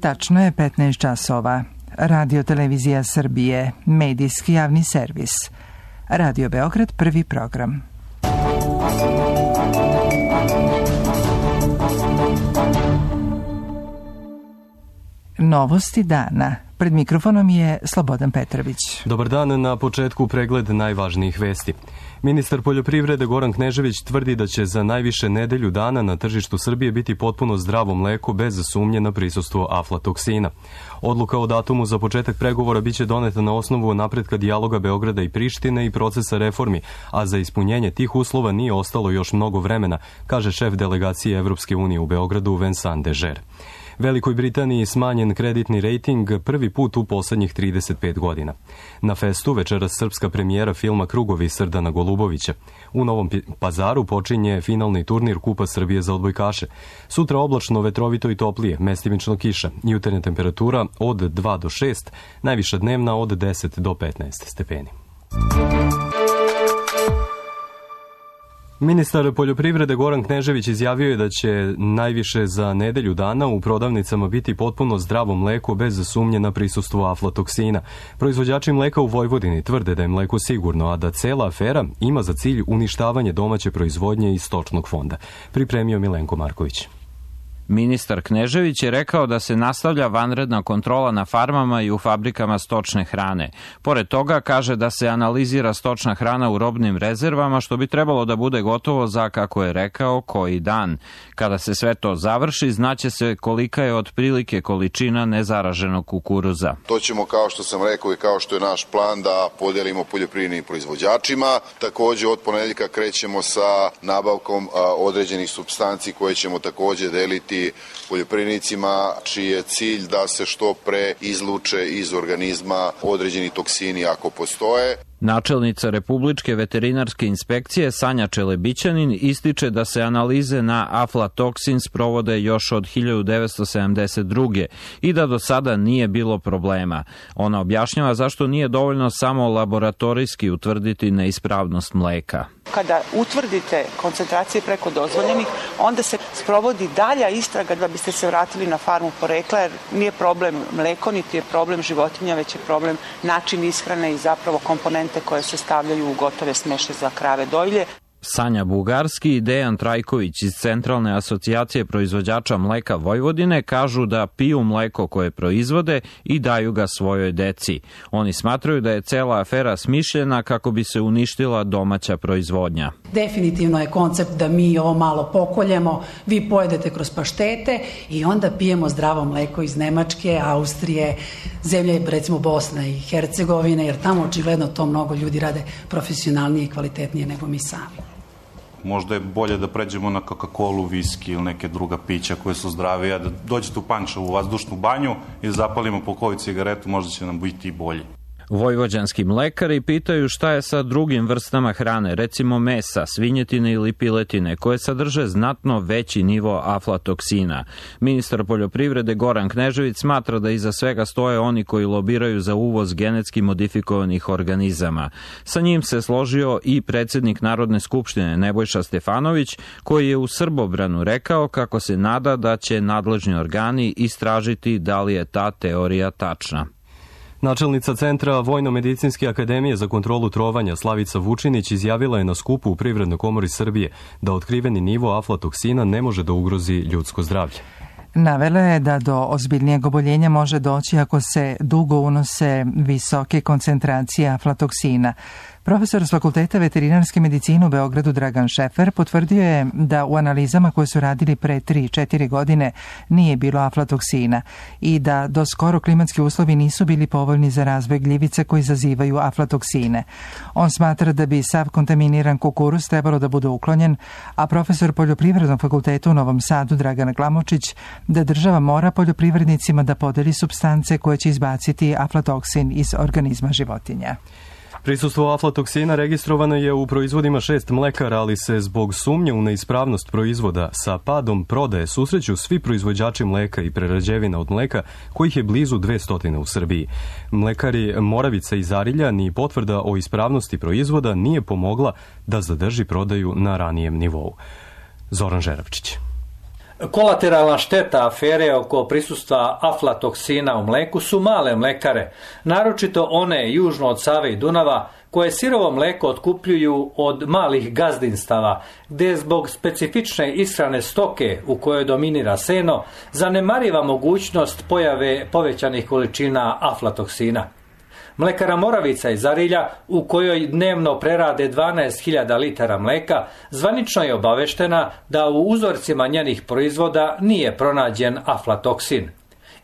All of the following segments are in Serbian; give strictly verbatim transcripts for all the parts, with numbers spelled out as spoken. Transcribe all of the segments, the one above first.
Tačno je petnaest časova. Radio Televizija Srbije, medijski javni servis. Radio Beograd, prvi program. Novosti dana. Pred mikrofonom je Slobodan Petrović. Dobar dan, na početku pregled najvažnijih vesti. Ministar poljoprivrede Goran Knežević tvrdi da će za najviše nedelju dana na tržištu Srbije biti potpuno zdravo mleko bez sumnje na prisustvo aflatoksina. Odluka o datumu za početak pregovora biće doneta na osnovu napretka dijaloga Beograda i Prištine i procesa reformi, a za ispunjenje tih uslova nije ostalo još mnogo vremena, kaže šef delegacije Evropske unije u Beogradu Vincent Dežer. Velikoj Britaniji smanjen kreditni rejting prvi put u poslednjih trideset pet godina. Na festu večeras srpska premijera filma Krugovi Srdana Golubovića. U Novom Pazaru počinje finalni turnir Kupa Srbije za odbojkaše. Sutra oblačno, vetrovito i toplije, mestimično kiša. Jutarnja temperatura od dva do šest, najviša dnevna od deset do petnaest stepeni. Ministar poljoprivrede Goran Knežević izjavio je da će najviše za nedelju dana u prodavnicama biti potpuno zdravo mleko bez sumnje na prisustvo aflatoksina. Proizvođači mleka u Vojvodini tvrde da je mleko sigurno, a da cela afera ima za cilj uništavanje domaće proizvodnje i stočnog fonda. Pripremio Milenko Marković. Ministar Knežević je rekao da se nastavlja vanredna kontrola na farmama i u fabrikama stočne hrane. Pored toga kaže da se analizira stočna hrana u robnim rezervama, što bi trebalo da bude gotovo za, kako je rekao, koji dan. Kada se sve to završi, znaće se kolika je otprilike količina nezaraženog kukuruza. To ćemo, kao što sam rekao i kao što je naš plan, da podelimo poljoprivrednim proizvođačima. Takođe, od ponedeljka krećemo sa nabavkom određenih supstanci koje ćemo takođe deliti poljoprivrednicima, čiji je cilj da se što pre izluče iz organizma određeni toksini ako postoje. Načelnica Republičke veterinarske inspekcije Sanja Čelebićanin ističe da se analize na aflatoksin sprovode još od hiljadu devetsto sedamdeset druge. i da do sada nije bilo problema. Ona objašnjava zašto nije dovoljno samo laboratorijski utvrditi neispravnost mleka. Kada utvrdite koncentracije preko dozvoljenih, onda se sprovodi dalja istraga da biste se vratili na farmu porekla, jer nije problem mleko, niti je problem životinja, već je problem način ishrane i zapravo komponente koje se stavljaju u gotove smeše za krave dojilje. Sanja Bugarski i Dejan Trajković iz Centralne asocijacije proizvođača mleka Vojvodine kažu da piju mleko koje proizvode i daju ga svojoj deci. Oni smatraju da je cela afera smišljena kako bi se uništila domaća proizvodnja. Definitivno je koncept da mi ovo malo pokoljemo, vi pojedete kroz paštete i onda pijemo zdravo mleko iz Nemačke, Austrije, zemlje recimo Bosna i Hercegovine, jer tamo očigledno to mnogo ljudi rade profesionalnije i kvalitetnije nego mi sami. Možda je bolje da pređemo na Coca-Colu, viski ili neke druga pića koje su zdravije, da dođete u Pančevu u vazdušnu banju i zapalimo po koju cigaretu, možda će nam biti i bolje. Vojvođanski mlekari pitaju šta je sa drugim vrstama hrane, recimo mesa, svinjetine ili piletine, koje sadrže znatno veći nivo aflatoksina. Ministar poljoprivrede Goran Knežević smatra da iza svega stoje oni koji lobiraju za uvoz genetski modifikovanih organizama. Sa njim se složio i predsjednik Narodne skupštine Nebojša Stefanović, koji je u Srbobranu rekao kako se nada da će nadležni organi istražiti da li je ta teorija tačna. Načelnica Centra Vojno-medicinske akademije za kontrolu trovanja Slavica Vučinić izjavila je na skupu u Privrednoj komori Srbije da otkriveni nivo aflatoksina ne može da ugrozi ljudsko zdravlje. Navela je da do ozbiljnijeg oboljenja može doći ako se dugo unose visoke koncentracije aflatoksina. Profesor s Fakulteta veterinarske medicine u Beogradu Dragan Šefer potvrdio je da u analizama koje su radili pre tri četiri godine nije bilo aflatoksina i da do skoro klimatski uslovi nisu bili povoljni za razvoj gljivica koji izazivaju aflatoksine. On smatra da bi sav kontaminiran kukuruz trebalo da bude uklonjen, a profesor Poljoprivrednog fakulteta u Novom Sadu Dragan Glamočić da država mora poljoprivrednicima da podeli supstance koje će izbaciti aflatoksin iz organizma životinja. Prisustvo aflatoksina registrovano je u proizvodima šest mlekara, ali se zbog sumnje u neispravnost proizvoda sa padom prodaje susreću svi proizvođači mleka i prerađevina od mleka, kojih je blizu dvesta u Srbiji. Mlekari Moravica i Zarilja ni potvrda o ispravnosti proizvoda nije pomogla da zadrži prodaju na ranijem nivou. Zoran Žeravčić. Kolateralna šteta afere oko prisustva aflatoksina u mleku su male mlekare, naročito one južno od Save i Dunava, koje sirovo mleko otkupljuju od malih gazdinstava, gdje zbog specifične ishrane stoke u kojoj dominira seno, zanemariva mogućnost pojave povećanih količina aflatoksina. Mlekara Moravica iz Arilja, u kojoj dnevno prerade dvanaest hiljada litara mleka, zvanično je obaveštena da u uzorcima njenih proizvoda nije pronađen aflatoksin.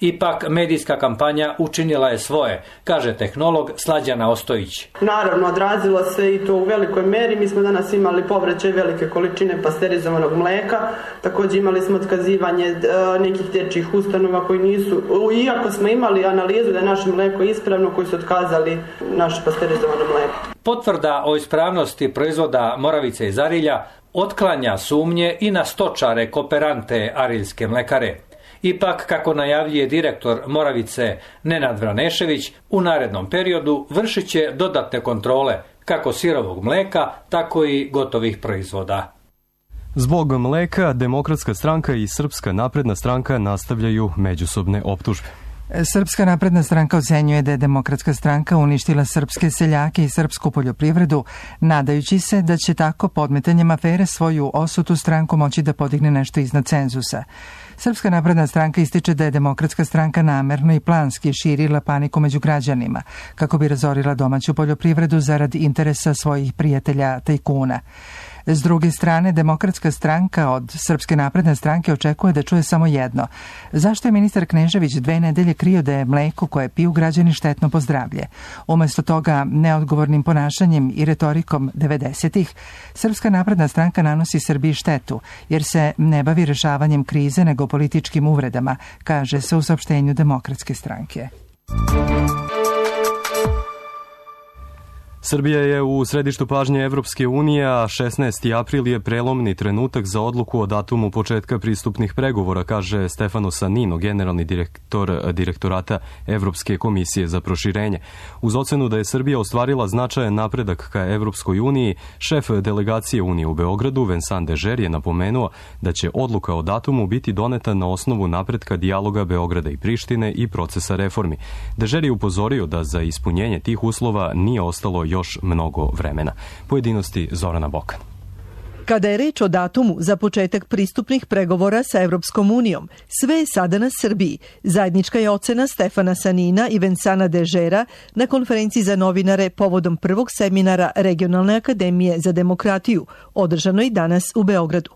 Ipak medijska kampanja učinila je svoje, kaže tehnolog Slađana Ostojić. Naravno, odrazilo se i to u velikoj meri. Mi smo danas imali povraćaj velike količine pasterizovanog mleka. Također imali smo otkazivanje nekih dječjih ustanova koji nisu, iako smo imali analizu da je naše mleko ispravno, koji su otkazali naše pasterizovano mleko. Potvrda o ispravnosti proizvoda Moravice iz Arilja otklanja sumnje i na stočare kooperante Ariljske mlekare. Ipak, kako najavljuje direktor Moravice Nenad Vranešević, u narednom periodu vršit će dodatne kontrole kako sirovog mleka, tako i gotovih proizvoda. Zbog mleka, Demokratska stranka i Srpska napredna stranka nastavljaju međusobne optužbe. Srpska napredna stranka ocenjuje da je Demokratska stranka uništila srpske seljake i srpsku poljoprivredu, nadajući se da će tako podmetanjem afere svoju osutu stranku moći da podigne nešto iznad cenzusa. Srpska napredna stranka ističe da je Demokratska stranka namerno i planski širila paniku među građanima, kako bi razorila domaću poljoprivredu zarad interesa svojih prijatelja tajkuna. S druge strane, Demokratska stranka od Srpske napredne stranke očekuje da čuje samo jedno. Zašto je ministar Knežević dve nedelje krio da je mleko koje piju građani štetno po zdravlje? Umesto toga, neodgovornim ponašanjem i retorikom devedesetih, Srpska napredna stranka nanosi Srbiji štetu, jer se ne bavi rešavanjem krize nego političkim uvredama, kaže se u saopštenju Demokratske stranke. Srbija je u središtu pažnje Evropske unije, a šesnaesti april je prelomni trenutak za odluku o datumu početka pristupnih pregovora, kaže Stefano Sanino, generalni direktor direktorata Evropske komisije za proširenje. Uz ocenu da je Srbija ostvarila značajan napredak ka Evropskoj uniji, šef delegacije Unije u Beogradu, Vincent Dežer, je napomenuo da će odluka o datumu biti doneta na osnovu napretka dijaloga Beograda i Prištine i procesa reformi. Dežer je upozorio da za ispunjenje tih uslova nije ostalo još mnogo vremena. Pojedinosti Zorana Bokan. Kada je reč o datumu za početak pristupnih pregovora sa Evropskom unijom, sve je sada na Srbiji. Zajednička je ocena Stefana Sanina i Vincenta Dežera na konferenciji za novinare povodom prvog seminara Regionalne akademije za demokratiju, održanoj danas u Beogradu.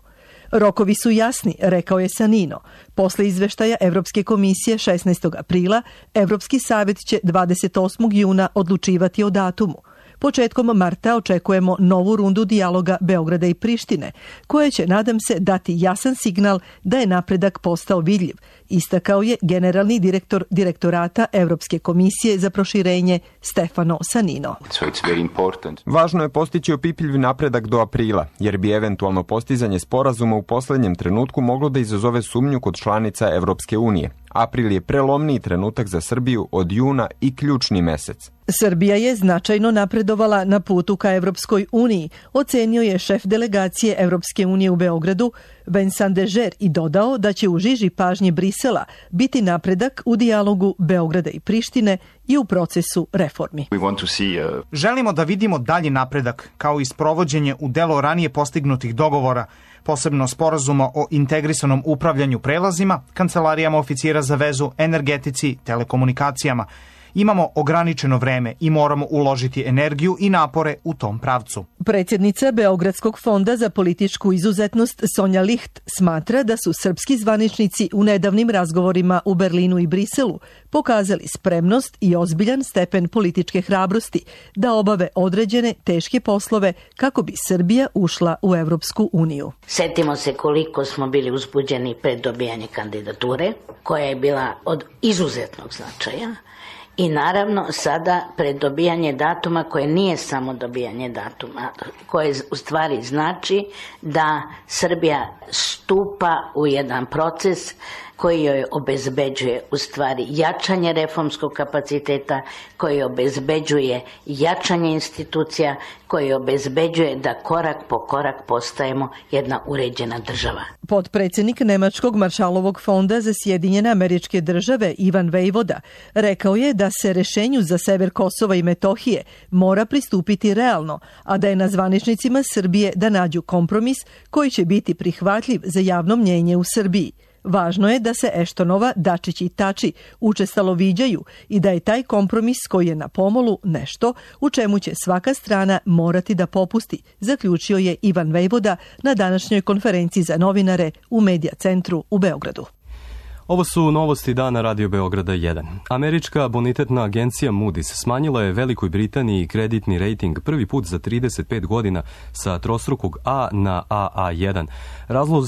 Rokovi su jasni, rekao je Sanino. Posle izveštaja Evropske komisije šesnaestog aprila, Evropski savjet će dvadeset osmog juna odlučivati o datumu. Početkom marta očekujemo novu rundu dijaloga Beograda i Prištine, koja će, nadam se, dati jasan signal da je napredak postao vidljiv, istakao je generalni direktor direktorata Evropske komisije za proširenje Stefano Sanino. Važno je postići opipljiv napredak do aprila, jer bi eventualno postizanje sporazuma u poslednjem trenutku moglo da izazove sumnju kod članica Evropske unije. April je prelomniji trenutak za Srbiju od juna i ključni mesec. Srbija je značajno napredovala na putu ka Evropskoj uniji, ocenio je šef delegacije Evropske unije u Beogradu, Vincent Dežer, i dodao da će u žiži pažnje Brisela biti napredak u dijalogu Beograda i Prištine i u procesu reformi. Želimo da vidimo dalji napredak, kao i sprovođenje u delo ranije postignutih dogovora, posebno sporazuma o integrisanom upravljanju prelazima, kancelarijama oficira za vezu, energetici, telekomunikacijama. Imamo ograničeno vreme i moramo uložiti energiju i napore u tom pravcu. Predsjednica Beogradskog fonda za političku izuzetnost Sonja Licht smatra da su srpski zvaničnici u nedavnim razgovorima u Berlinu i Briselu pokazali spremnost i ozbiljan stepen političke hrabrosti da obave određene teške poslove kako bi Srbija ušla u Evropsku uniju. Setimo se koliko smo bili uzbuđeni pred dobijanje kandidature, koja je bila od izuzetnog značaja. I naravno sada pred dobijanje datuma, koje nije samo dobijanje datuma, koje u stvari znači da Srbija sto stupa u jedan proces koji joj obezbeđuje u stvari jačanje reformskog kapaciteta, koji obezbeđuje jačanje institucija, koji obezbeđuje da korak po korak postajemo jedna uređena država. Potpredsjednik Nemačkog Maršalovog fonda za Sjedinjene Američke Države Ivan Vejvoda rekao je da se rešenju za sever Kosova i Metohije mora pristupiti realno, a da je na zvaničnicima Srbije da nađu kompromis koji će biti prihvatljiv za javno mnjenje u Srbiji. Važno je da se Eštonova, Dačić i Tači učestalo viđaju i da je taj kompromis koji je na pomolu nešto u čemu će svaka strana morati da popusti, zaključio je Ivan Vejvoda na današnjoj konferenciji za novinare u Medija centru u Beogradu. Ovo su novosti dana Radio Beograda jedan. Američka bonitetna agencija Moody's smanjila je Velikoj Britaniji kreditni rejting prvi put za trideset pet godina sa trostrukog A na A A jedan. Razlog,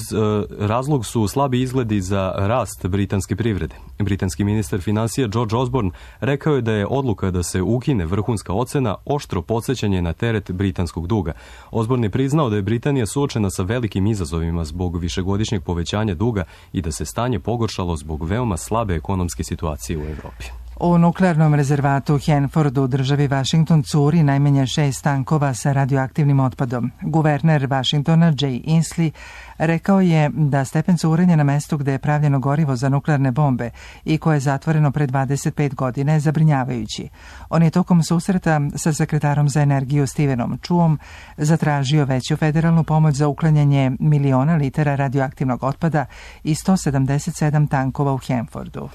razlog su slabi izgledi za rast britanske privrede. Britanski ministar financija George Osborne rekao je da je odluka da se ukine vrhunska ocena oštro podsjećanje na teret britanskog duga. Osborne je priznao da je Britanija suočena sa velikim izazovima zbog višegodišnjeg povećanja duga i da se stanje pogoršalo zbog veoma slabe ekonomske situacije u Evropi. U nuklearnom rezervatu Hanford u državi Washington curi najmanje šest tankova sa radioaktivnim otpadom. Guverner Washingtona Jay Inslee rekao je da stepen curenja na mestu gde je pravljeno gorivo za nuklearne bombe i koje je zatvoreno pre dvadeset pet godina je zabrinjavajući. On je tokom susreta sa sekretarom za energiju Stevenom Chuom zatražio veću federalnu pomoć za uklanjanje miliona litara radioaktivnog otpada i sto sedamdeset sedam tankova u Hanfordu.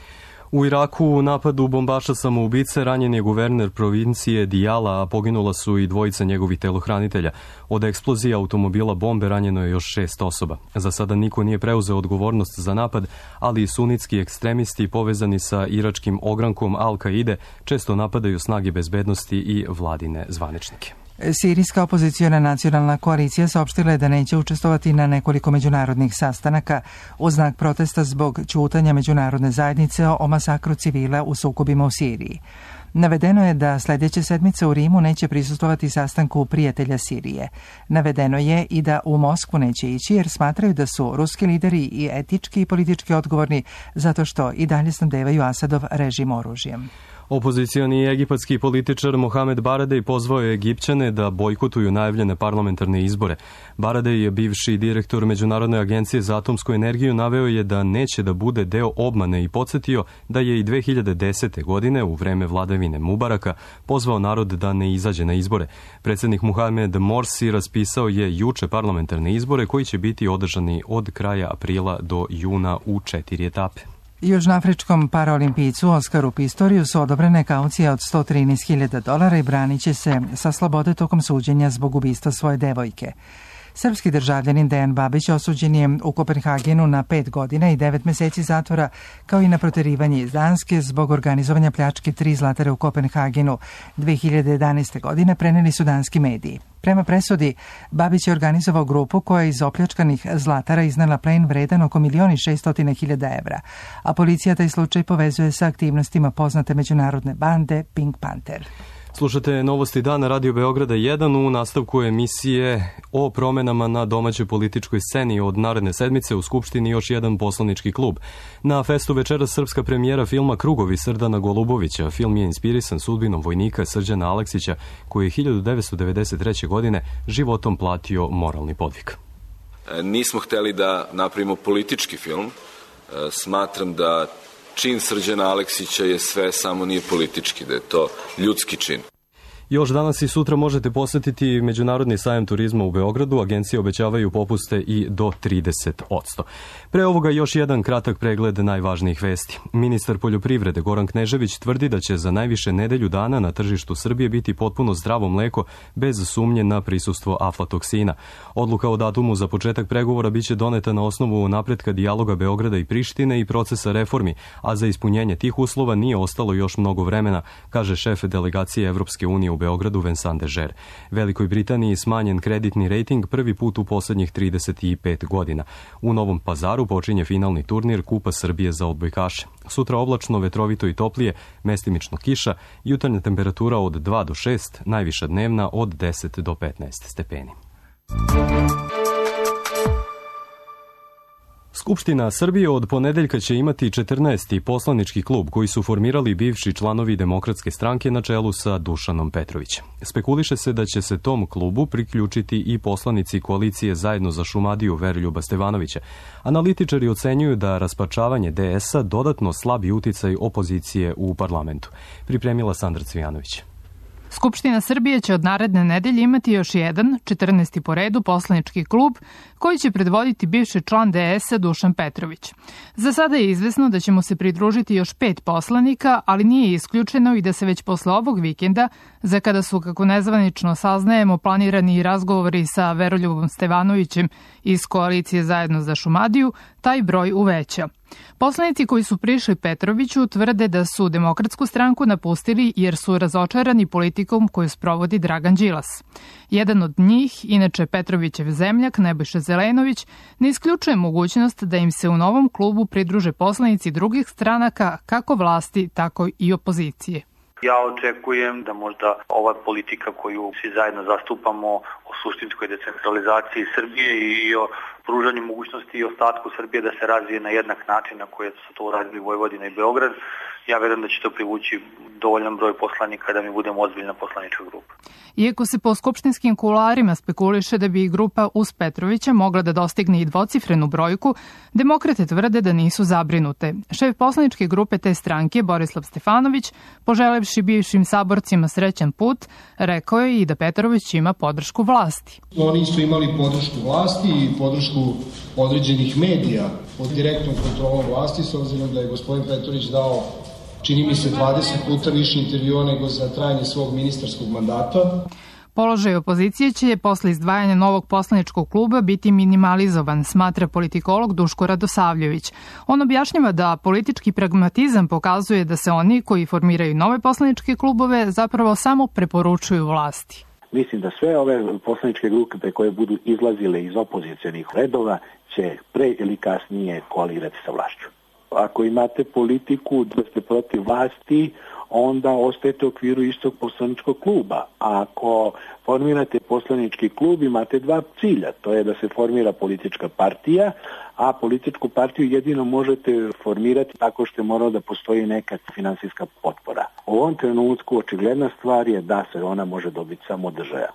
U Iraku u napadu bombaša samoubice ranjen je guverner provincije Dijala, a poginula su i dvojica njegovih telohranitelja. Od eksplozije automobila bombe ranjeno je još šest osoba. Za sada niko nije preuzeo odgovornost za napad, ali i sunitski ekstremisti povezani sa iračkim ogrankom Al-Kaide često napadaju snage bezbednosti i vladine zvaničnike. Sirijska opoziciona nacionalna koalicija saopštila je da neće učestvovati na nekoliko međunarodnih sastanaka u znak protesta zbog ćutanja međunarodne zajednice o masakru civila u sukobima u Siriji. Navedeno je da sljedeće sedmice u Rimu neće prisustvovati sastanku prijatelja Sirije. Navedeno je i da u Moskvu neće ići jer smatraju da su ruski lideri i etički i politički odgovorni zato što i dalje snabdevaju Asadov režim oružjem. Opozicioni egipatski političar Mohamed Baradej pozvao je Egipćane da bojkotuju najavljene parlamentarne izbore. Baradej je bivši direktor Međunarodne agencije za atomsku energiju, naveo je da neće da bude deo obmane i podsjetio da je i dve hiljade desete. godine u vreme vladavine Mubaraka pozvao narod da ne izađe na izbore. Predsjednik Mohamed Morsi raspisao je juče parlamentarne izbore koji će biti održani od kraja aprila do juna u četiri etape. Južnoafričkom paraolimpijcu Oskaru Pistoriju su odobrene kaucije od sto trinaest hiljada dolara i branit će se sa slobode tokom suđenja zbog ubistva svoje devojke. Srpski državljanin Dejan Babić osuđen je u Kopenhagenu na pet godina i devet meseci zatvora, kao i na proterivanje iz Danske zbog organizovanja pljačke tri zlatare u Kopenhagenu dve hiljade jedanaeste. godine, preneli su danski mediji. Prema presudi, Babić je organizovao grupu koja je iz opljačkanih zlatara iznela plen vredan oko milion i šeststotina hiljada evra, a policija taj slučaj povezuje sa aktivnostima poznate međunarodne bande Pink Panther. Slušate novosti dana Radio Beograda jedan u nastavku emisije o promenama na domaćoj političkoj sceni. Od naredne sedmice u Skupštini još jedan poslanički klub. Na festu večera srpska premijera filma Krugovi Srdana Golubovića. Film je inspirisan sudbinom vojnika Srđana Aleksića koji je hiljadu devetsto devedeset treće. godine životom platio moralni podvig. Nismo hteli da napravimo politički film. Smatram da čin Srđana Aleksića je sve, samo nije politički, da je to ljudski čin. Još danas i sutra možete posjetiti Međunarodni sajam turizma u Beogradu. Agencije obećavaju popuste i do trideset posto. Pre ovoga još jedan kratak pregled najvažnijih vesti. Ministar poljoprivrede Goran Knežević tvrdi da će za najviše nedelju dana na tržištu Srbije biti potpuno zdravo mleko bez sumnje na prisustvo aflatoksina. Odluka o datumu za početak pregovora biće doneta na osnovu napretka dijaloga Beograda i Prištine i procesa reformi, a za ispunjenje tih uslova nije ostalo još mnogo vremena, kaže šef delegacije Evropske unije u Beogradu Vincent Dežer. Velikoj Britaniji smanjen kreditni rejting prvi put u posljednjih trideset pet godina. U Novom Pazaru počinje finalni turnir Kupa Srbije za odbojkaše. Sutra oblačno, vetrovito i toplije, mestimično kiša, jutarnja temperatura od dva do šest, najviša dnevna od deset do petnaest stepeni. Skupština Srbije od ponedeljka će imati četrnaesti poslanički klub koji su formirali bivši članovi Demokratske stranke na čelu sa Dušanom Petrovićem. Spekuliše se da će se tom klubu priključiti i poslanici koalicije Zajedno za Šumadiju Veroljuba Stevanovića. Analitičari ocenjuju da raspačavanje D S-a dodatno slabi uticaj opozicije u parlamentu. Pripremila Sandra Cvijanović. Skupština Srbije će od naredne nedelje imati još jedan, četrnaesti po redu, poslanički klub koji će predvoditi bivši član D S-a Dušan Petrović. Za sada je izvesno da će mu se pridružiti još pet poslanika, ali nije isključeno i da se već posle ovog vikenda, za kada su, kako nezvanično saznajemo, planirani i razgovori sa Veroljubom Stevanovićem iz koalicije Zajedno za Šumadiju, taj broj uveća. Poslanici koji su prišli Petroviću tvrde da su Demokratsku stranku napustili jer su razočarani politikom koju sprovodi Dragan Đilas. Jedan od njih, inače Petrovićev zemljak Nebojša Zelenović, ne isključuje mogućnost da im se u novom klubu pridruže poslanici drugih stranaka, kako vlasti, tako i opozicije. Ja očekujem da možda ova politika koju svi zajedno zastupamo o suštinskoj decentralizaciji Srbije i o pružanju mogućnosti i ostatku Srbije da se razvije na jednak način na koji su to uradili Vojvodina i Beograd, ja verujem da će to privući dovoljan broj poslanika da mi budemo ozbiljna poslanička grupa. Iako se po skupštinskim kuloarima spekuliše da bi i grupa uz Petrovića mogla da dostigne i dvocifrenu brojku, demokrate tvrde da nisu zabrinute. Šef poslaničke grupe te stranke, Borislav Stefanović, poželevši bivšim saborcima srećan put, rekao je i da Petrović ima podršku vlasti. Oni su imali podršku vlasti i podršku određenih medija pod direktnom kontrolom vlasti, s obzirom da je gospodin Petrović dao, čini mi se, dvadeset puta više intervjua nego za trajanje svog ministarskog mandata. Položaj opozicije će posle izdvajanja novog poslaničkog kluba biti minimalizovan, smatra politikolog Duško Radosavljević. On objašnjava da politički pragmatizam pokazuje da se oni koji formiraju nove poslaničke klubove zapravo samo preporučuju vlasti. Mislim da sve ove poslaničke grupe koje budu izlazile iz opozicionih redova će pre ili kasnije koalirati sa vlašću. Ako imate politiku da ste protiv vlasti, onda ostajete u okviru istog poslaničkog kluba. A ako formirate poslanički klub, imate dva cilja. To je da se formira politička partija, a političku partiju jedino možete formirati tako što je moralo da postoji neka finansijska potpora. U ovom trenutku očigledna stvar je da se ona može dobiti samo od države.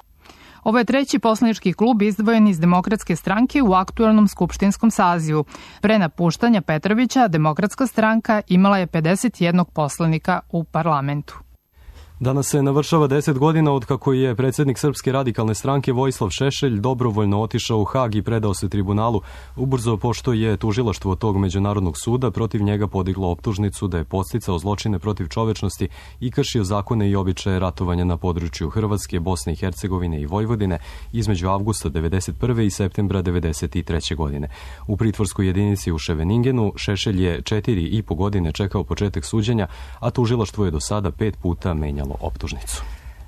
Ovo je treći poslanički klub izdvojen iz Demokratske stranke u aktuelnom skupštinskom sazivu. Pre napuštanja Petrovića, Demokratska stranka imala je pedeset jednog poslanika u parlamentu. Danas se navršava deset godina od kako je predsjednik Srpske radikalne stranke Vojislav Šešelj dobrovoljno otišao u Hag i predao se tribunalu, ubrzo pošto je tužilaštvo tog međunarodnog suda protiv njega podiglo optužnicu da je podsticao zločine protiv čovečnosti i kršio zakone i običaje ratovanja na području Hrvatske, Bosne i Hercegovine i Vojvodine između avgusta devedeset prve i septembra devedeset treće godine. U pritvorskoj jedinici u Ševeningenu Šešelj je četiri i po godine čekao početak suđenja, a tužilaštvo je do sada pet puta menjalo optužnicu.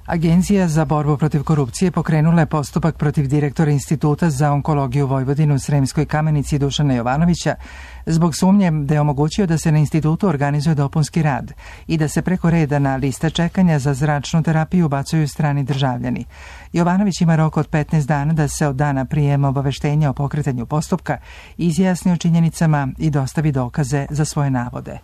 Agencija za borbu protiv korupcije pokrenula je postupak protiv direktora Instituta za onkologiju Vojvodinu u Sremskoj Kamenici Dušana Jovanovića zbog sumnje da je omogućio da se na institutu organizuje dopunski rad i da se preko reda na lista čekanja za zračnu terapiju ubacuju strani državljani. Jovanović ima rok od petnaest dana da se od dana prijema obaveštenja o pokretanju postupka izjasni o činjenicama i dostavi dokaze za svoje navode.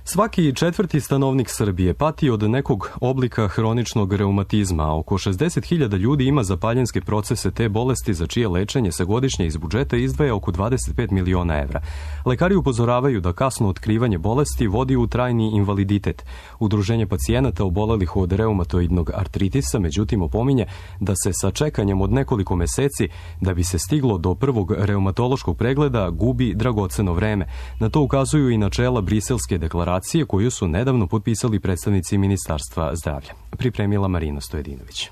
Svaki četvrti stanovnik Srbije pati od nekog oblika hroničnog reumatizma, a oko šezdeset hiljada ljudi ima zapaljenske procese te bolesti za čije lečenje se godišnje iz budžeta izdvaja oko dvadeset pet miliona evra. Lekari upozoravaju da kasno otkrivanje bolesti vodi u trajni invaliditet. Udruženje pacijenata obolelih od reumatoidnog artritisa međutim opominje da se sa čekanjem od nekoliko meseci da bi se stiglo do prvog reumatološkog pregleda gubi dragoceno vreme. Na to ukazuju i načela Briselske deklaracije koju su nedavno potpisali predstavnici Ministarstva zdravlja. Pripremila Marina Stojedinović.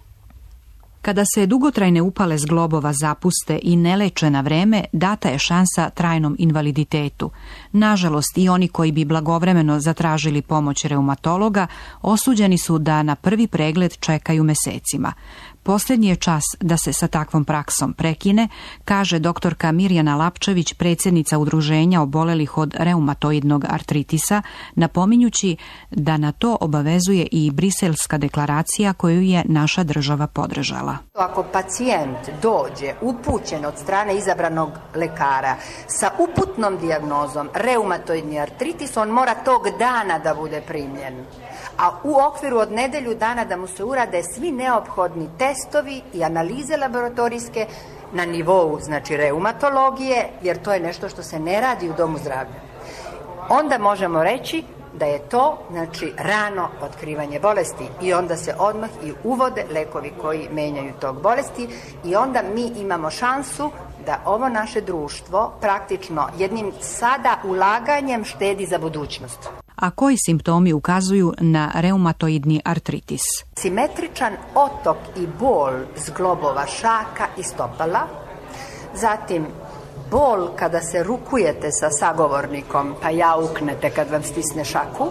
Kada se dugotrajne upale zglobova zapuste i ne leče na vreme, data je šansa trajnom invaliditetu. Nažalost, i oni koji bi blagovremeno zatražili pomoć reumatologa, osuđeni su da na prvi pregled čekaju mesecima. Posljednji je čas da se sa takvom praksom prekine, kaže doktorka Mirjana Lapčević, predsjednica udruženja obolelih od reumatoidnog artritisa, napominjući da na to obavezuje i Briselska deklaracija koju je naša država podržala. Ako pacijent dođe upućen od strane izabranog lekara sa uputnom dijagnozom reumatoidni artritis, on mora tog dana da bude primljen. A u okviru od nedelju dana da mu se urade svi neophodni testovi i analize laboratorijske na nivou, znači, reumatologije, jer to je nešto što se ne radi u domu zdravlja. Onda možemo reći da je to, znači, rano otkrivanje bolesti i onda se odmah i uvode lekovi koji menjaju tog bolesti i onda mi imamo šansu da ovo naše društvo praktično jednim sada ulaganjem štedi za budućnost. A koji simptomi ukazuju na reumatoidni artritis? Simetričan otok i bol zglobova šaka i stopala, zatim bol kada se rukujete sa sagovornikom pa jauknete kad vam stisne šaku,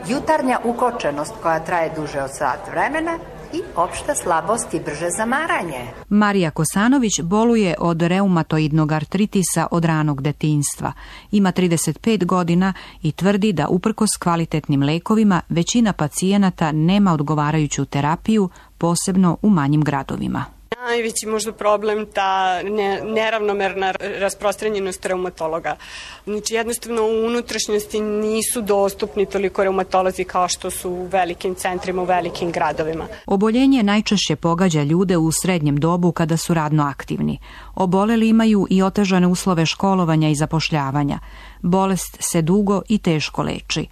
jutarnja ukočenost koja traje duže od sat vremena i opšta slabost i brže zamaranje. Marija Kosanović boluje od reumatoidnog artritisa od ranog detinjstva. Ima trideset pet godina i tvrdi da uprkos kvalitetnim lekovima većina pacijenata nema odgovarajuću terapiju, posebno u manjim gradovima. Najveći možda problem ta ne, neravnomerna rasprostranjenost reumatologa. Znači jednostavno u unutrašnjosti nisu dostupni toliko reumatolozi kao što su u velikim centrima, u velikim gradovima. Oboljenje najčešće pogađa ljude u srednjem dobu kada su radno aktivni. Oboleli imaju i otežane uslove školovanja i zapošljavanja. Bolest se dugo i teško leči.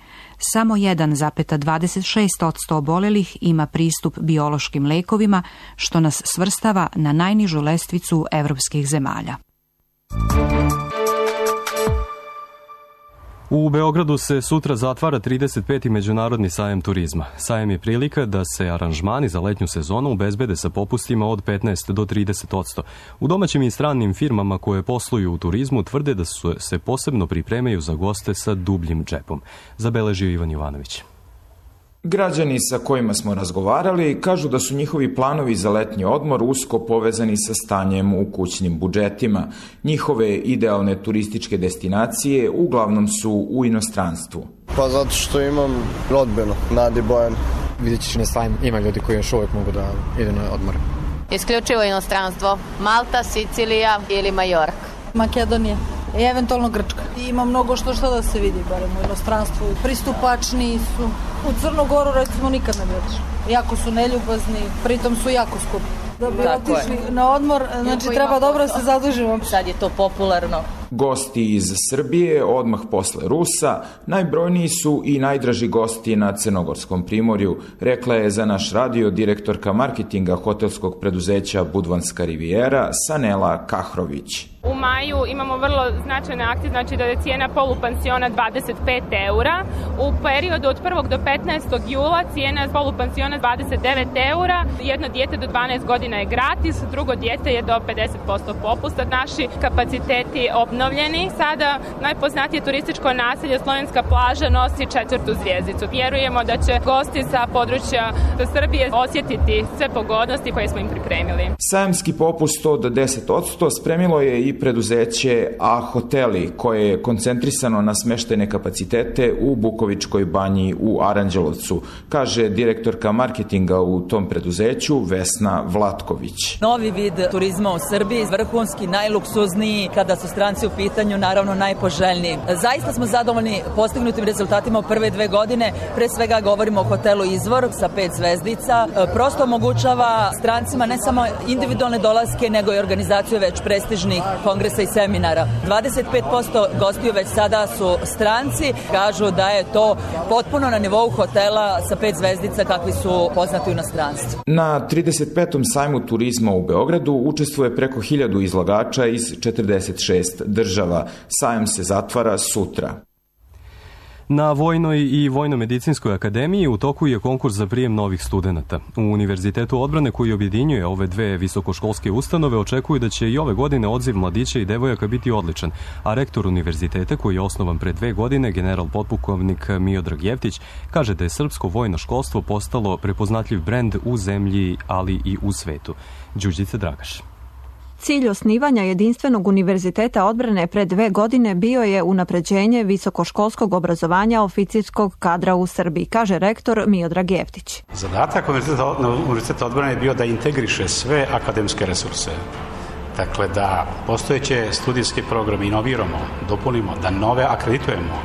Samo jedan zarez dvadeset šest posto obolelih ima pristup biološkim lekovima, što nas svrstava na najnižu lestvicu evropskih zemalja. U Beogradu se sutra zatvara trideset peti Međunarodni sajam turizma. Sajam je prilika da se aranžmani za letnju sezonu obezbede sa popustima od petnaest do trideset posto. U domaćim i stranim firmama koje posluju u turizmu tvrde da su, se posebno pripremaju za goste sa dubljim džepom. Zabeležio Ivan Jovanović. Građani sa kojima smo razgovarali kažu da su njihovi planovi za letnji odmor usko povezani sa stanjem u kućnim budžetima. Njihove idealne turističke destinacije uglavnom su u inostranstvu. Pa zato što imam rodbinu, Nadi Bojan. Vidjet ćeš na sajmu, ima ljudi koji još uvijek mogu da idu na odmor. Isključivo inostranstvo, Malta, Sicilija ili Majorka. Makedonija i eventualno Grčka. Ima mnogo što što da se vidi, barem u inostranstvu. Pristupačni su. U Crnu Goru recimo nikad ne bi otišli. Jako su neljubazni, pritom su jako skupi. Da bi Tako otišli je. Na odmor, znači Iako treba dobro se zadužimo. Sad je to popularno. Gosti iz Srbije, odmah posle Rusa, najbrojniji su i najdraži gosti na Crnogorskom primorju, rekla je za naš radio direktorka marketinga hotelskog preduzeća Budvanska rivijera Sanela Kahrović. U maju imamo vrlo značajne akcije, znači da je cijena polupansiona dvadeset pet eura. U periodu od prvog do petnaestog jula cijena polupansiona dvadeset devet eura. Jedno dijete do dvanaest godina je gratis, drugo dijete je do pedeset posto popusta. Naši kapaciteti obnovljeni. Sada najpoznatije turističko naselje Slovenska plaža nosi četvrtu zvjezdicu. Vjerujemo da će gosti sa područja Srbije osjetiti sve pogodnosti koje smo im pripremili. Sajamski popust od deset posto spremilo je i preduzeće A Hoteli, koje je koncentrisano na smeštajne kapacitete u Bukovičkoj banji u Aranđelovcu, kaže direktorka marketinga u tom preduzeću Vesna Vlatković. Novi vid turizma u Srbiji, vrhunski, najluksuzniji, kada su stranci u pitanju, naravno najpoželjniji. Zaista smo zadovoljni postignutim rezultatima u prve dve godine, pre svega govorimo o hotelu Izvor sa pet zvezdica, prosto omogućava strancima ne samo individualne dolaske, nego i organizaciju već prestižnih kongresa i seminara. dvadeset pet posto gostiju već sada su stranci, kažu da je to potpuno na nivou hotela sa pet zvezdica kakvi su poznati u inostranstvu. Na trideset petom sajmu turizma u Beogradu učestvuje preko hiljadu izlagača iz četrdeset šest država. Sajam se zatvara sutra. Na Vojnoj i Vojno-medicinskoj akademiji u toku je konkurs za prijem novih studenata. U Univerzitetu odbrane koji objedinjuje ove dve visokoškolske ustanove očekuju da će i ove godine odziv mladića i devojaka biti odličan, a rektor univerziteta koji je osnovan pre dve godine, general potpukovnik Miodrag Jeftić, kaže da je srpsko vojno školstvo postalo prepoznatljiv brend u zemlji, ali i u svetu. Đurđica Dragaš. Cilj osnivanja jedinstvenog univerziteta odbrane pre dve godine bio je unapređenje visokoškolskog obrazovanja oficirskog kadra u Srbiji, kaže rektor Miodrag Jeftić. Zadatak univerziteta odbrane je bio da integriše sve akademske resurse. Dakle, da postojeće studijske programe inoviramo, dopunimo, da nove akreditujemo,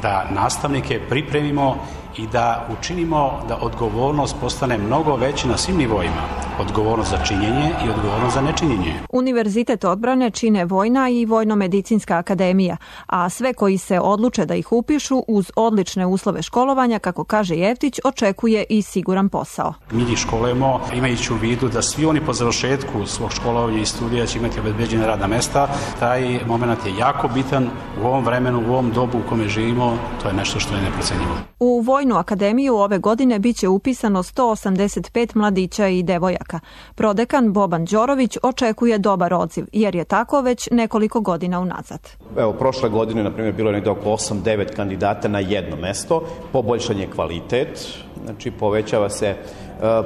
da nastavnike pripremimo i da učinimo da odgovornost postane mnogo veća na svim nivoima. Odgovornost za činjenje i odgovornost za nečinjenje. Univerzitet odbrane čine Vojna i Vojno-medicinska akademija, a sve koji se odluče da ih upišu uz odlične uslove školovanja, kako kaže Jeftić, očekuje i siguran posao. Mi ih školujemo imajući u vidu da svi oni po završetku svog školovanja i studija će imati obezbeđene radna mesta. Taj moment je jako bitan u ovom vremenu, u ovom dobu u kome živimo, to je nešto što je neprocenjivo. U Vojnu akademiju ove godine biće upisano sto osamdeset pet mladića i devojaka. Prodekan Boban Đorović očekuje dobar odziv, jer je tako već nekoliko godina unazad. Evo, prošle godine, na primjer, bilo je negdje oko osam devet kandidata na jedno mesto, poboljšan je kvalitet, znači povećava se e,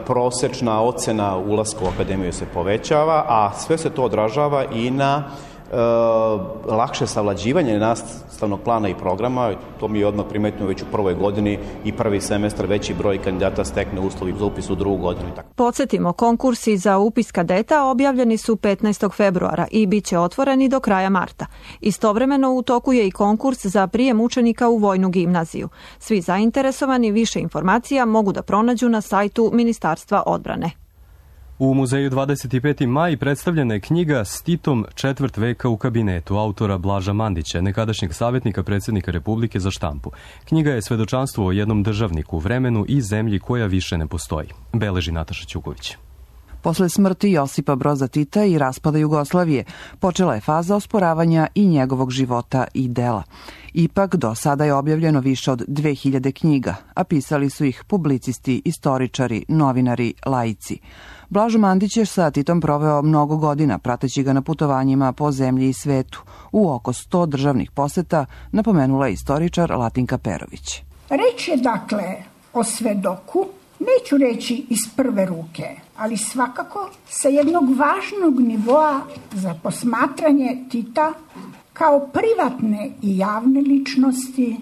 prosečna ocena ulaska u akademiju se povećava, a sve se to odražava i na e, lakše savlađivanje nastavnog plana i programa. To mi je odmah primetno već u prvoj godini i prvi semestar veći broj kandidata stekne uslovi za upis u drugu godinu. Podsjetimo, konkursi za upis kadeta objavljeni su petnaestog februara i bit će otvoreni do kraja marta. Istovremeno u toku je i konkurs za prijem učenika u Vojnu gimnaziju. Svi zainteresovani više informacija mogu da pronađu na sajtu Ministarstva odbrane. U muzeju dvadeset peti maj predstavljena je knjiga S Titom četvrt veka u kabinetu autora Blaža Mandića, nekadašnjeg savjetnika predsjednika Republike za štampu. Knjiga je svedočanstvo o jednom državniku, vremenu i zemlji koja više ne postoji. Beleži Nataša Ćuković. Posle smrti Josipa Broza Tita i raspada Jugoslavije počela je faza osporavanja i njegovog života i dela. Ipak, do sada je objavljeno više od dve hiljade knjiga, a pisali su ih publicisti, istoričari, novinari, laici. Blažo Mandić je sa Titom proveo mnogo godina, prateći ga na putovanjima po zemlji i svetu. U oko sto državnih poseta, napomenula je istoričar Latinka Perović. Reč je dakle o svedoku, neću reći iz prve ruke, ali svakako sa jednog važnog nivoa za posmatranje Tita kao privatne i javne ličnosti,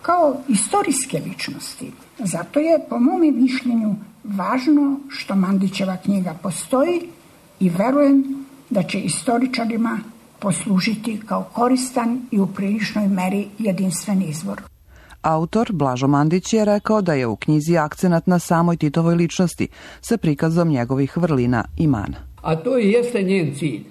kao istorijske ličnosti. Zato je, po mom mišljenju, važno što Mandićeva knjiga postoji i verujem da će istoričarima poslužiti kao koristan i u priličnoj meri jedinstven izvor. Autor Blažo Mandić je rekao da je u knjizi akcenat na samoj Titovoj ličnosti sa prikazom njegovih vrlina i mana. A to i jeste njen cilj,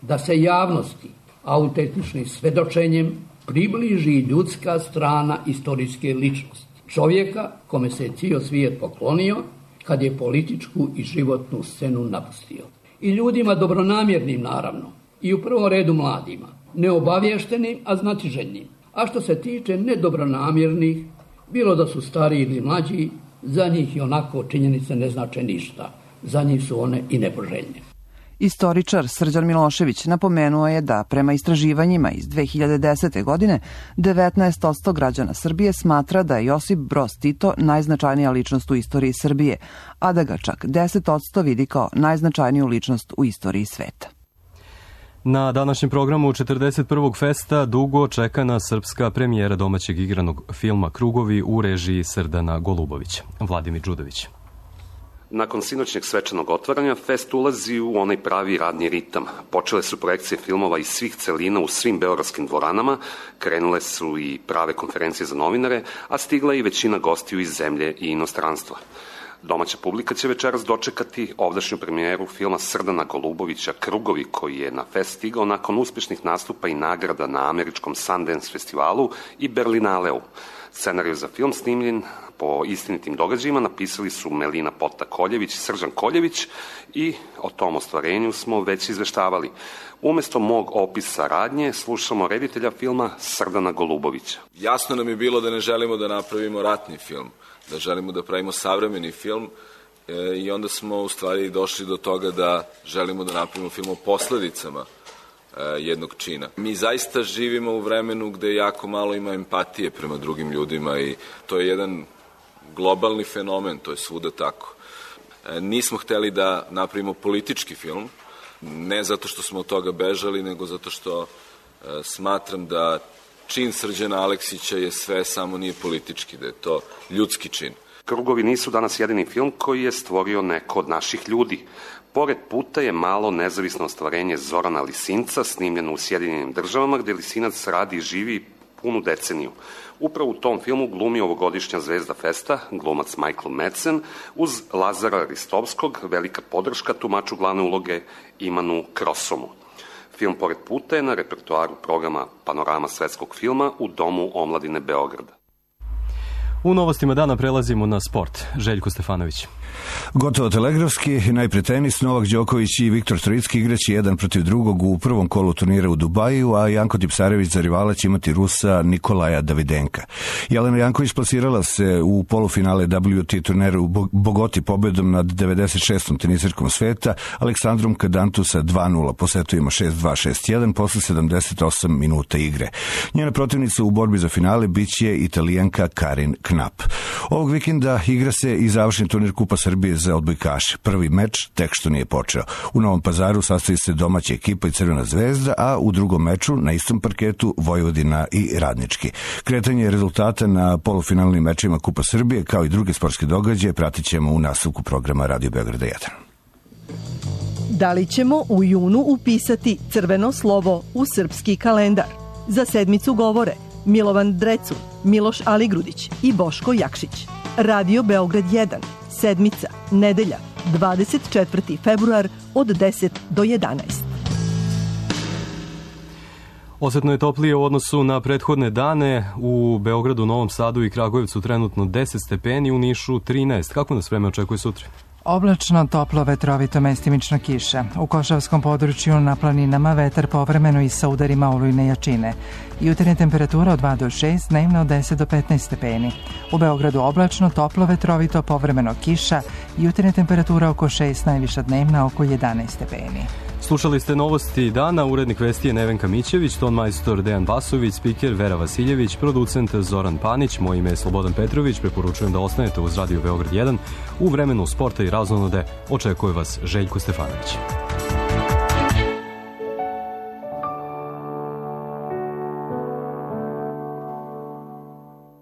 da se javnosti autentičnim svedočenjem približi ljudska strana istorijske ličnosti. Čovjeka kome se je cijel svijet poklonio kad je političku i životnu scenu napustio. I ljudima dobronamjernim naravno, i u prvom redu mladima, neobavještenim, a znatiželjnim. A što se tiče nedobronamjernih, bilo da su stariji ili mlađi, za njih i onako činjenice ne znače ništa. Za njih su one i nepoželjne. Istoričar Srđan Milošević napomenuo je da prema istraživanjima iz dve hiljade desete. godine devetnaest posto građana Srbije smatra da je Josip Broz Tito najznačajnija ličnost u istoriji Srbije, a da ga čak deset posto vidi kao najznačajniju ličnost u istoriji sveta. Na današnjem programu četrdeset prvog festa dugo čekana srpska premijera domaćeg igranog filma Krugovi u režiji Srdana Golubovića. Vladimir Đudović. Nakon sinoćnjeg svečanog otvaranja, fest ulazi u onaj pravi radni ritam. Počele su projekcije filmova iz svih celina u svim beogradskim dvoranama, krenule su i prave konferencije za novinare, a stigla i većina gostiju iz zemlje i inostranstva. Domaća publika će večeras dočekati ovdašnju premijeru filma Srdana Golubovića Krugovi, koji je na fest stigao nakon uspješnih nastupa i nagrada na američkom Sundance festivalu i Berlinaleu. Scenariju za film snimljen po istinitim događajima napisali su Melina Pota-Koljević i Srđan Koljević i o tom ostvarenju smo već izveštavali. Umesto mog opisa radnje slušamo reditelja filma Srdana Golubovića. Jasno nam je bilo da ne želimo da napravimo ratni film, da želimo da pravimo savremeni film e, i onda smo u stvari došli do toga da želimo da napravimo film o posledicama e, jednog čina. Mi zaista živimo u vremenu gde jako malo ima empatije prema drugim ljudima i to je jedan globalni fenomen, to je svuda tako. E, nismo hteli da napravimo politički film, ne zato što smo od toga bežali, nego zato što e, smatram da čin Srđana Aleksića je sve, samo nije politički, da je to ljudski čin. Krugovi nisu danas jedini film koji je stvorio neko od naših ljudi. Pored puta je malo nezavisno ostvarenje Zorana Lisinca, snimljeno u Sjedinjenim državama, gde Lisinac radi i živi punu deceniju. Upravo u tom filmu glumi ovogodišnja zvezda festa, glumac Michael Madsen, uz Lazara Ristovskog, velika podrška tumaču glavne uloge Imanu Krosomu. Film Pored puta je na repertoaru programa Panorama svetskog filma u Domu omladine Beograda. U novostima dana prelazimo na sport. Željko Stefanović. Gotovo telegrafski, najpre tenis, Novak Đoković i Viktor Trojicki igraće jedan protiv drugog u prvom kolu turnira u Dubaju, a Janko Tipsarević za rivala će imati Rusa Nikolaja Davidenka. Jelena Janković plasirala se u polufinale W T turnira u Bogoti pobedom nad devedeset šestom teniserkom sveta, Aleksandrom Kadantu sa dva nula po setovima šest dva šest jedan posle sedamdeset osam minuta igre. Njena protivnica u borbi za finale biće Italijanka Karin Knap. Ovog vikenda igra se i završni turnir Kupa Srbije za odbojkaše. Prvi meč tek što nije počeo. U Novom Pazaru sastoji se domaća ekipa i Crvena zvezda, a u drugom meču na istom parketu Vojvodina i Radnički. Kretanje rezultata na polufinalnim mečima Kupa Srbije kao i druge sportske događaje pratit ćemo u nastavku programa Radio Beograda jedan. Da li ćemo u junu upisati crveno slovo u srpski kalendar? Za sedmicu govore Milovan Drecun, Miloš Aligrudić i Boško Jakšić. Radio Beograd jedan, sedmica, nedelja, dvadeset četvrti februar od deset do jedanaest. Osetno je toplije u odnosu na prethodne dane. U Beogradu, Novom Sadu i Kragujevcu trenutno deset stepeni, u Nišu trinaest. Kako nas vreme očekuje sutra? Oblačno, toplo, vetrovito, mestimično kiša. U Košavskom području na planinama vetar povremeno i sa udarima olujne jačine. Jutarnja temperatura od dva do šest, dnevno od deset do petnaest stepeni. U Beogradu oblačno, toplo, vetrovito, povremeno kiša. Jutarnja temperatura oko šest, najviša dnevna oko jedanaest stepeni. Slušali ste novosti dana, urednik vesti je Nevenka Mićević, ton majstor Dejan Basović, spiker Vera Vasiljević, producent Zoran Panić, moje ime je Slobodan Petrović, preporučujem da ostanete uz Radio Beograd jedan. U vremenu sporta i razonode očekuje vas Željko Stefanović.